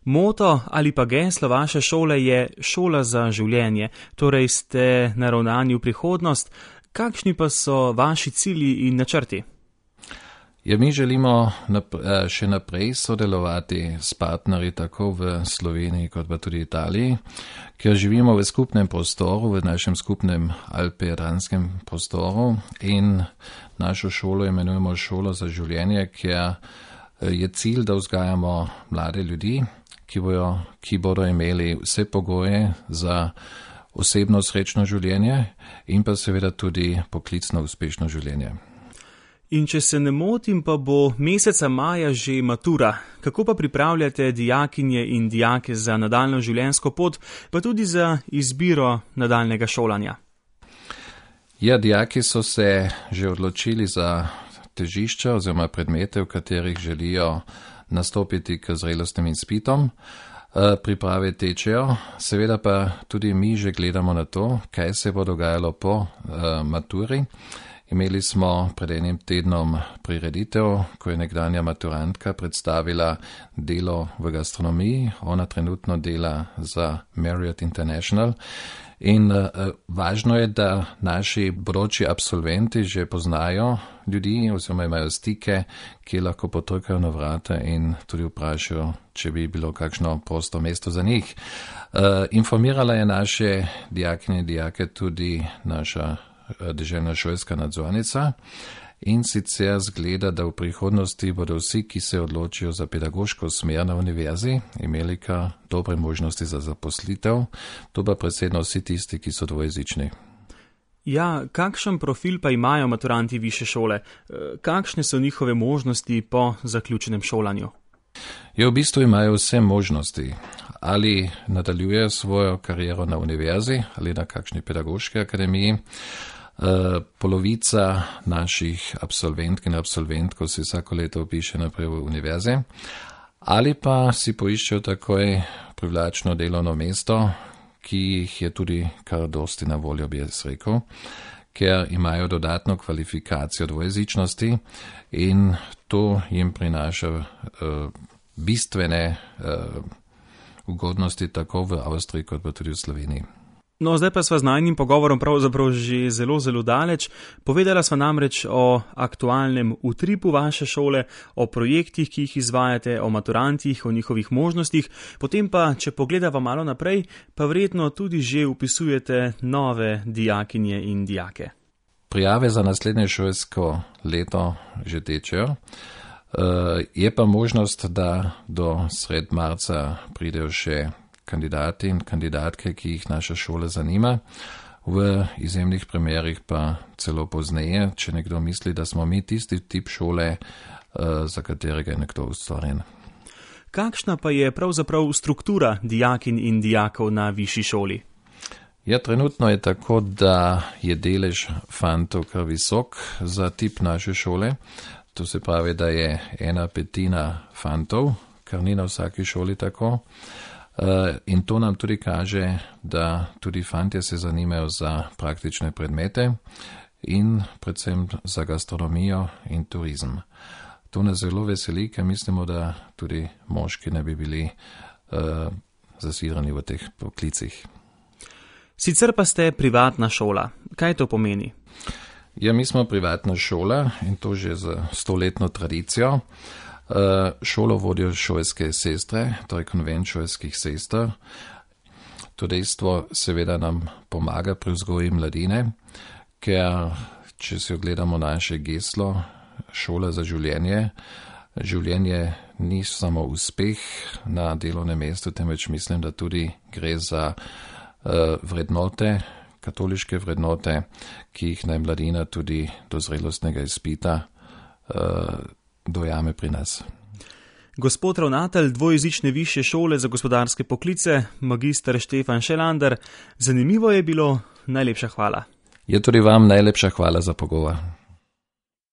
Moto ali pa geslo vaše šole je šola za življenje, torej ste naravnani v prihodnost. Kakšni pa so vaši cilji in načrti? Ja, mi želimo še naprej sodelovati s partnerji tako v Sloveniji kot pa tudi Italiji, ker živimo v skupnem prostoru, v našem skupnem alpe-jadranskem prostoru in našo šolo imenujemo šolo za življenje, ker je cilj, da vzgajamo mlade ljudi, ki bodo imeli vse pogoje za osebno srečno življenje in pa seveda tudi poklicno uspešno življenje. In če se ne motim, pa bo meseca maja že matura. Kako pa pripravljate dijakinje in dijake za nadaljno življenjsko pot, pa tudi za izbiro nadaljnega šolanja? Ja, dijaki so se že odločili za težišča oziroma predmete, v katerih želijo nastopiti k zrelostnim izpitom. Priprave tečejo, seveda pa tudi mi že gledamo na to, kaj se bo dogajalo po maturi. Imeli smo pred enim tednom prireditev, ko je nekdanja maturantka predstavila delo v gastronomiji. Ona trenutno dela za Marriott International. In važno je, da naši bodoči absolventi že poznajo ljudi oziroma imajo stike, ki lahko potrkajo na vrata in tudi vprašajo, če bi bilo kakšno prosto mesto za njih. Informirala je naše dijakinje in dijake tudi naša deželna šolska nadzornica in sicer zgleda, da v prihodnosti bodo vsi, ki se odločijo za pedagoško smer na univerzi, imeli kar dobre možnosti za zaposlitev, to pa predvsem vsi tisti, ki so dvojezični. Ja, kakšen profil pa imajo maturanti višje šole? Kakšne so njihove možnosti po zaključenem šolanju? Ja, v bistvu imajo vse možnosti. Ali nadaljujejo svojo kariero na univerzi ali na kakšni pedagoški akademiji. Polovica naših absolventk in absolventkov si vsako leto vpiše naprej v univerze ali pa si poiščejo takoj privlačno delovno mesto, ki jih je tudi kar dosti na voljo, bi jaz rekel, ker imajo dodatno kvalifikacijo dvojezičnosti in to jim prinaša bistvene ugodnosti tako v Avstriji kot pa tudi v Sloveniji. No, zdaj pa sva z najnim pogovorom pravzaprav že zelo daleč. Povedala sva namreč o aktualnem utripu vaše šole, o projektih, ki jih izvajate, o maturantih, o njihovih možnostih. Potem pa, če pogledava malo naprej, pa verjetno tudi že upisujete nove dijakinje in dijake. Prijave za naslednje šolsko leto že tečejo. Je pa možnost, da do sred marca pridejo še kandidati in kandidatke, ki jih naša šola zanima. V izjemnih primerih pa celo pozneje, če nekdo misli, da smo mi tisti tip šole, za katerega je nekdo ustvarjen. Kakšna pa je pravzaprav struktura dijakinj in dijakov na višji šoli? Ja, trenutno je tako, da je delež fantov kar visok za tip naše šole. To se pravi, da je 1/5 fantov, kar ni na vsaki šoli tako. In to nam tudi kaže, da tudi fantje se zanimajo za praktične predmete in predvsem za gastronomijo in turizem. To nas zelo veseli, ker mislimo, da tudi moški ne bi bili zasidrani v teh poklicih. Sicer pa ste privatna šola. Kaj to pomeni? Ja, mi smo privatna šola in to že z 100-letno tradicijo. Šolo vodijo šolske sestre, torej konvent šolskih sester. To dejstvo seveda nam pomaga pri vzgoji mladine, ker če si ogledamo naše geslo, šola za življenje, življenje ni samo uspeh na delovnem mestu, temveč mislim, da tudi gre za vrednote, katoliške vrednote, ki jih naj mladina tudi do zrelostnega izpita dojame pri nas. Gospod ravnatelj dvojezične višje šole za gospodarske poklice, magister Štefan Šelander, zanimivo je bilo, najlepša hvala. Je tudi vam najlepša hvala za pogovor.